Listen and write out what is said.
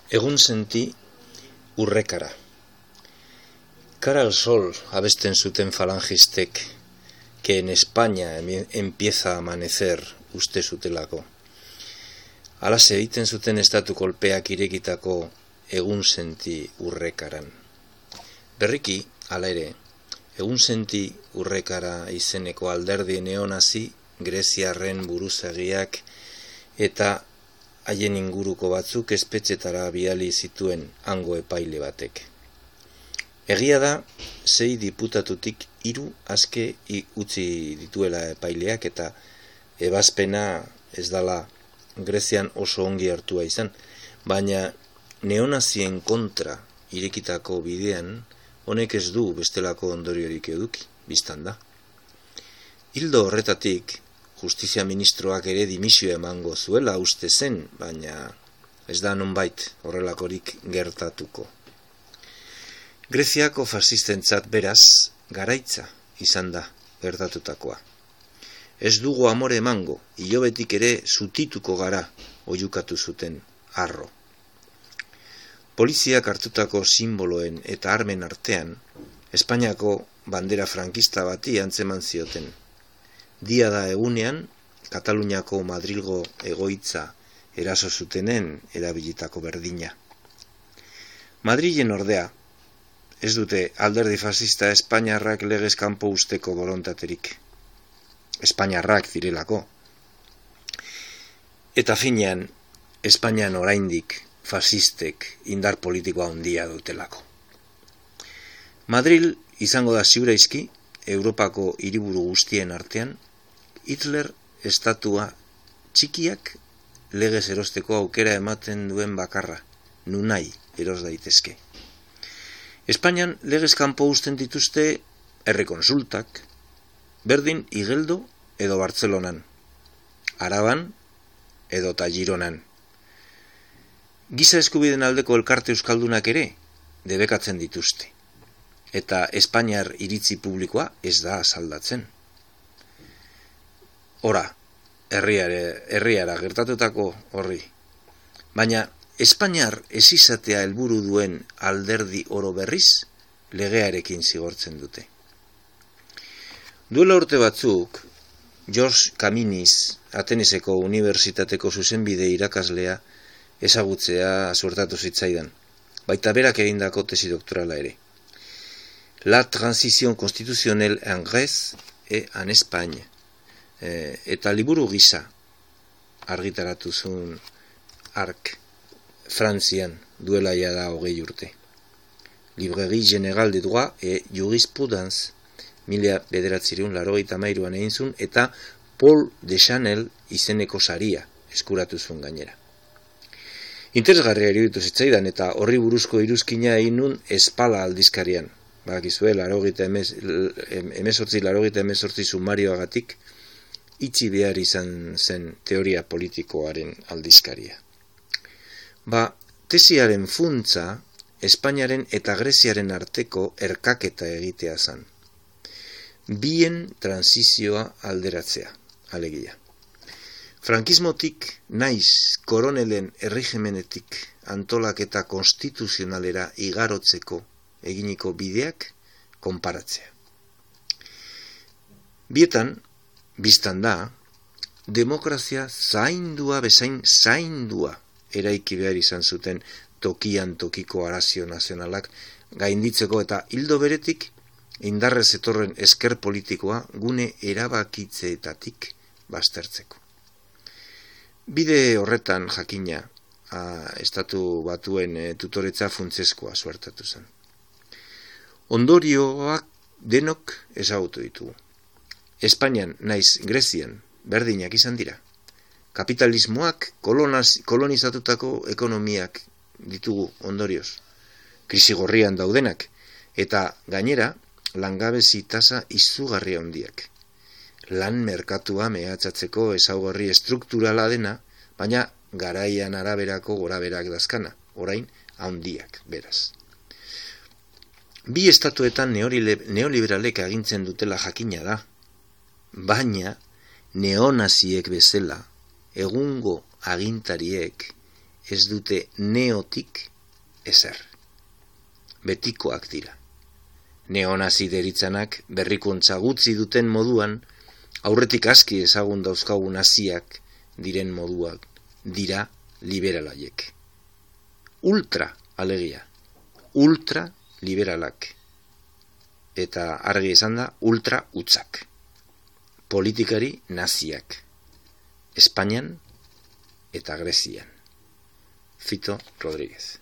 Egunsenti urrekara. Cara al sol abesten zuten falangistek, que en España empieza a amanecer uste zutelako. Alase egiten zuten estatu kolpeak irekitako egunsenti urrekaran. Berriki, hala ere, egunsenti urrekara izeneko alderdi neonazi, greziarren buruzagiak eta haien inguruko batzuk espetxetara bidali zituen hango epaile batek. Egia da, 6 diputatutik 3 aske utzi dituela epaileak eta ebazpena ez dala Grezian oso ongi hartua izan, baina neonazien kontra irekitako bidean honek ez du bestelako ondoriorik eduki, biztan da. Ildo horretatik, Justizia ministroak ere dimisioa emango zuela uste zen, baina ez da nonbait horrelakorik gertatuko. Greziako fasistentzat beraz garaitza izan da gertatutakoa. Ez dugu amore emango, hilobetik ere zutituko gara oihukatu zuten harro. Poliziak hartutako simboloen eta armen artean, Espainiako bandera frankista bati antzeman zioten. Dia da egunean, Kataluniako Madrilgo egoitza eraso zutenen erabilitako berdina. Madrilen ordea, ez dute alderdi fascista espainiarrak legez kanpo usteko borontaterik. Espainiarrak direlako. Eta finean, Espainian oraindik fascistek indar politikoa handia dutelako. Madril izango da ziuraizki, Europako hiriburu guztien artean, Hitler estatua txikiak legez erosteko aukera ematen duen bakarra, nunai eros daitezke. Espainian legez kanpo uzten dituzte errekonsultak, berdin Igeldo edo Bartzelonan, Araban edo Gironan. Giza eskubideen aldeko elkarte euskaldunak ere debekatzen dituzte, eta Espainiar iritzi publikoa ez da asaldatzen. Ora, herriara gertatutako horri. Baina, Espainiar ez izatea helburu duen alderdi oro berriz, legearekin zigortzen dute. Duela urte batzuk, George Kaminis, Ateneseko Unibertsitateko zuzenbide irakaslea ezagutzea suertatu zitzaidan, baita berak egindako tesi doktorala ere. La transición constitutionnelle en Grèce et en Espagne. Eta liburu gisa argitaratu zuen hark Frantzian duela da 20 urte. Librairie Générale de Droit et Jurisprudence 1983an egin zuen eta Paul de Chanel izeneko saria eskuratu zuen gainera. Interesgarria iruditu zitzaidan eta horri buruzko iruzkina egin nun Espala aldizkarian. Bakizue, 1988 sumarioagatik itxi behar izan zen teoria politikoaren aldizkaria. Tesiaren funtza Espainiaren eta Greziaren arteko erkaketa egitea zen. Bien transizioa alderatzea, alegia. Frankismotik naiz koronelen erregimenetik antolaketa konstituzionalera igarotzeko eginiko bideak konparatzea. Bietan, biztan da, demokrazia zaindua bezain zaindua eraiki behar izan zuten tokian tokiko arazio nazionalak gainditzeko eta hildo beretik indarrez etorren esker politikoa gune erabakitzeetatik baztertzeko. Bide horretan jakina, estatu batuen tutoretza funtsezkoa suertatu zen. Ondorioak denok ezagutu ditugu. Espainian naiz Grezian berdinak izan dira. Kapitalismoak kolonizatutako ekonomiak ditugu ondorioz. Krisi gorrian daudenak eta gainera langabezi tasa izugarria handiak. Lan merkatua mehatxatzeko ezaugarri estrukturala dena, baina garaian araberako goraberak dazkana, orain handiak beraz. Bi estatuetan neoliberalek agintzen dutela jakina da, baina neonaziek bezala egungo agintariek ez dute neotik ezer. Betikoak dira. Neonazi deritzanak berrikuntza gutxi duten moduan, aurretik aski ezagun dauzkagun naziak diren moduak dira liberalaiek. Ultra alegia, ultra liberalak. Eta argi esan da, ultra utzak. Politikari naziak. Espainian eta Grezian. Fito Rodríguez.